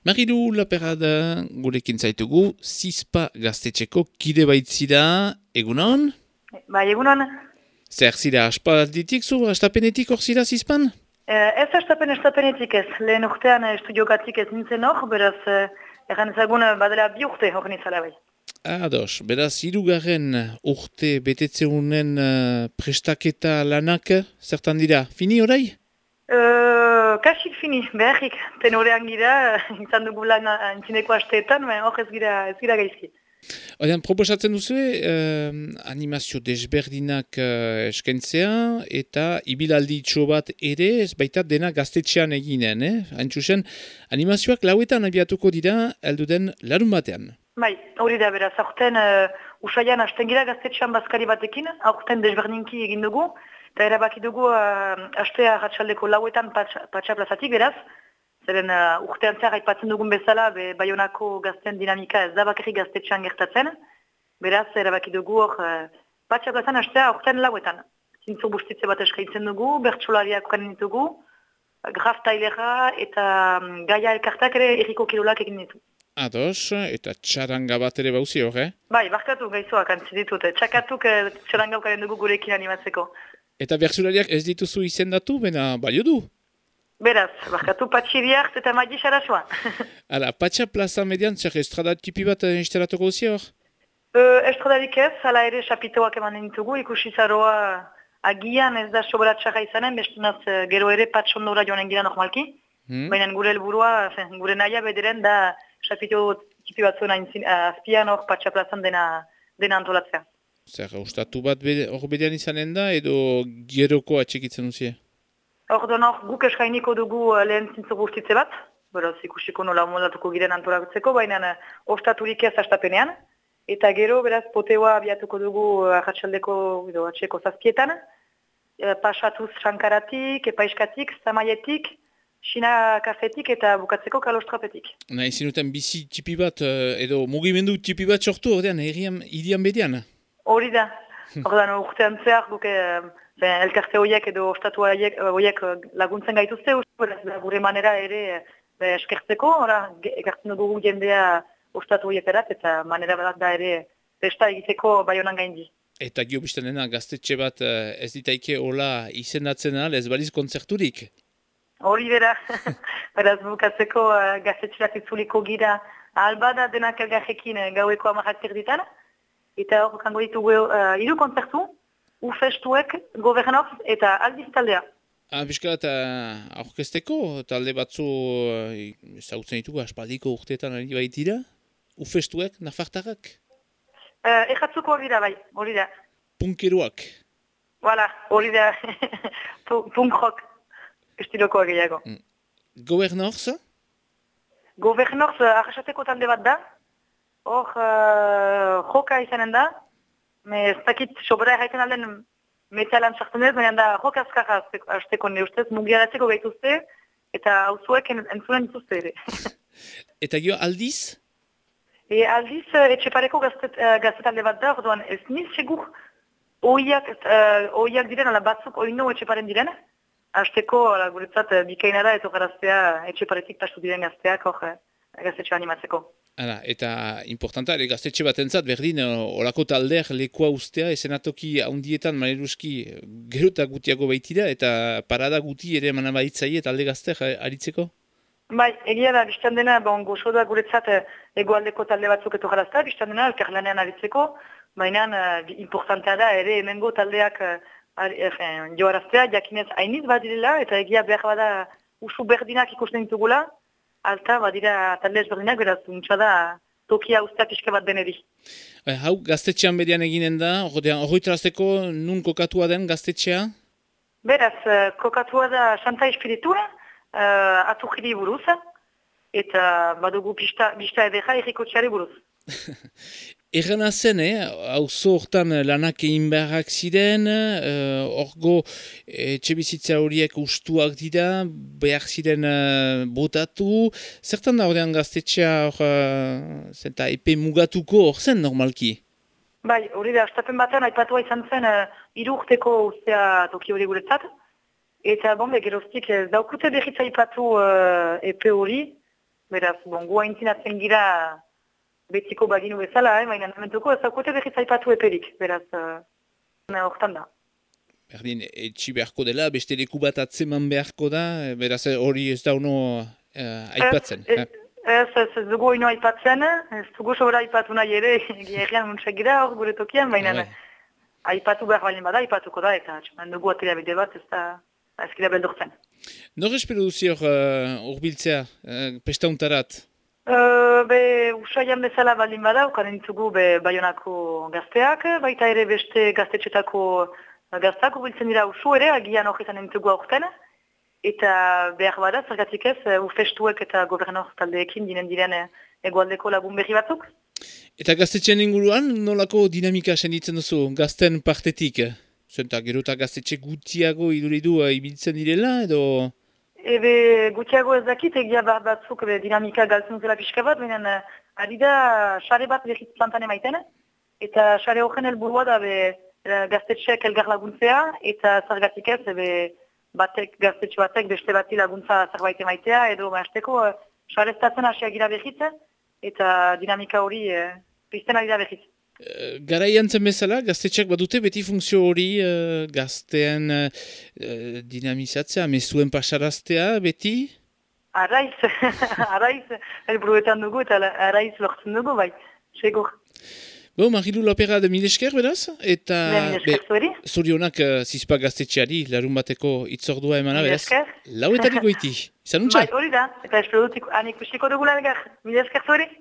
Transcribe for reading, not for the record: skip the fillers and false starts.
Marilu Laperada, gurekin zaitugu, Zizpa gaztetxeko kide baitzira, egunon? Bai, egunon. Zer zira, aspalditik zu, astapenetik hor zira Zizpan? Ez estapenetik ez. Lehen urtean estudiogatik ez nintzen hor, beraz, erran ezagun badela 2 urte hor nintzala bai. Ados, beraz, hirugarren urte betetzeunen prestaketa lanak, zertan dira, fini orai? Kasik fini, beharrik. Tenorean gira, izan dugu lan intzineko asteetan, hor ez gira gaizki. Odean, proposatzen duzu, animazio desberdinak eskentzea, eta ibilaldi itxo bat ere, ez baita dena gaztetxean eginen, Haintxusen, animazioak lauetan abiatuko dira, elduden larun batean. Bai, hori da beraz, aurten usaian hasten gira gaztetxean bazkari batekin, aurten desberdinki egin dugu, eta erabaki dugu astea ratxaldeko lauetan patxa plazatik beraz, zeren urtean zehar aipatzen dugun bezala, Baionako gazten dinamika ez da bakarrik gaztetxean gertatzen, beraz erabaki dugu hor patxa plazan astea aurten lauetan. Zintzo bustitze bat eskaintzen dugu, bertsolariak ukanen ditugu, graf tailera eta gaia elkartak ere erriko kirolak egin ditu. Ados, eta txaranga bat ere bauzi hor, Bai, barkatu gaizua kantzi ditut, txakatuk txaranga ukaren dugu gurekin animatzeko. Eta bertsolariak ez dituzu izendatu, bena balio du? Beraz, barkatu patxiriak eta magi xarasua. Hala, patxa plaza median, zer estrada tipi bat instalatuko zi hor? Estradarik ez, hala ere chapitoak eman ditugu, ikusi zaroa agian ez da sobera txarra izanen, bestunaz gero ere patxondora joanen gira normalki. Baina gure helburua, gure nahia bederen da chapito tipi batzuen azpian hor patxa plazan dena antolatzea. Zer, ustatu bat hor bedean izanen da, edo geroko atxekitzen duzie? Ordon hor, guk eskainiko dugu lehen zintzo guztitze bat, beraz ikusiko nola moldatuko giren antolatzeko, baina ostaturik ez astapenean. Eta gero, beraz, poteoa abiatuko dugu arratsaldeko edo atxeko zazpietan, pasatuz sankaratik, epaiskatik, zamaietik, Xina kafetik eta bukatzeko kalostrapetik. Nahi zinuten bizi tipi bat, edo mugimendu tipi bat sortu, ordean, hirian bedean? Hori da. Ordean, urtean zehar, guk elkarte horiek edo ostatu horiek laguntzen gaituzte, gure manera ere eskertzeko, ekartzen dugu jendea ostatu horiek erat, eta manera bat da ere festa egiteko Baionan gaindi. Eta gio biztanena, gaztetxe bat ez ditaike hola izendatzen al, ez baliz kontzerturik? Hori bera, beraz bukatzeko gaztetxerak itzuliko gira albada denak elgarrekin gaueko 10 ditan, eta hor kango ditugu 3 kontzertu, ufestuek, gobernoz eta aldiz taldea. Bizka eta aurkezteko talde batzu ezagutzen ditugu aspaldiko urteetan ari baitira? Ufestuek, nafartarrak? Erratzuko hori da bai, hori da. Punkeroak? Voilà, hori da, punk rock. Estiloko gehiago. Gobernoz? Gobernoz arrasateko talde bat da. Hor joka izanen da. Ez dakit sobera erraiten alden metalan sartzen ez, baina da joka azkarra azteko ne ustez, mugiaratzeko gaituzte, eta hauzuek entzunen dituzte ere. Eta gio aldiz? Aldiz etxepareko gaztetalde bat da, orduan ez niz segur oiak diren, ala batzuk oino etxeparen diren. Azteko, guretzat, bikaina da, eto garaztea, etxeparetik pastu diren gazteak, gaztetxe animatzeko. Eta importanta, gaztetxe bat entzat, berdin, olako taldeak lekoa ustea, esenatoki handietan, maneruski, gerota gutiago baitira, eta parada guti ere manabaitzaie talde gazteak aritzeko? Bai, egia da, biztan dena, gozo da guretzat, egoaldeko talde batzuk eto garaztea, biztan dena, elkarlanean aritzeko, baina importantea da, ere hemengo taldeak, joaraztea, jakinez hainiz badirela, eta egia behar bada usu berdinak ikusten ditugula, alta badira talde ezberdinak, beraz, untsa da tokia ustea pixka bat deneri. Hau, gaztetxean bedian eginen da, horretarazteko nun kokatua den gaztetxea? Beraz, kokatua da Santa Espiritura, atukiri buruz, eta badugu pista edera errikotxeari buruz. Errana zen, auzo hortan lanak egin beharrak ziren, orgo etxebizitza horiek ustuak dira, behar ziren botatu. Zertan da horrean gaztetxea zenta epe mugatuko hor zen normalki? Bai, hori da, astapen batean aipatua izan zen 3 urteko ustea toki hori guretzat. Eta geroztik daukute behitza aipatu epe hori, Beraz, gu haintzinatzen gira betiko baginu bezala, baina namentuko ezakote behiz aipatu eperik, beraz, hortan da. Berdin, etxi beharko dela, beste leku bat atzeman beharko da, beraz hori ez da uno aipatzen. Ez dugu ino aipatzen, ez dugu sobra aipatu nahi ere, gerrian muntsak gira hor gure tokian, baina aipatu behar baldin bada, aipatuko da, eta dugu atera bide bat, ez da ezkira beldurtzen. Nor espero duzi hor urbiltzea, pestauntarat? Usaian bezala baldin bada, ukan entzugu Baionako gazteak, baita ere beste gaztetxetako gaztak urbiltzen dira usu ere, agian horretan entzugu aurten, eta behar bada, zergatik ez, ufestuek eta gobernor taldeekin dinen diren egualdeko lagun berri batzuk. Eta gaztetxean inguruan, nolako dinamika senditzen duzu, gazten partetik? Zenta, gero eta gaztetxe gutiago iduridu ibiltzen direla, edo? Gutiago ez dakit, egia batzuk dinamika galtzen zela pixka bat, baina ari da xare bat berriz plantan emaiten, eta xare horren helburua da gaztetxeak elgar laguntzea, eta zergatik ez, gaztetxe batek beste bati laguntza zerbait emaitea, edo maesteko xareztatzen hasiak gira berriz, eta dinamika hori pizten ari da berriz. Garaian zen bezala, gaztetxeak badute beti funtzio hori gaztean dinamizatzea, mezuen pasaraztea beti? Arraiz, helburuetan dugu eta arraiz lortzen dugu, bai, segur. Marilu Lapera de Milesker, beraz? Eta zorionak zizpa gaztetxeari, larun bateko itzordua emana, beraz? Lauetari goiti, izan untza? Bai, hori da, eta espero dutik anik usiko dugula elgar. Milesker zori?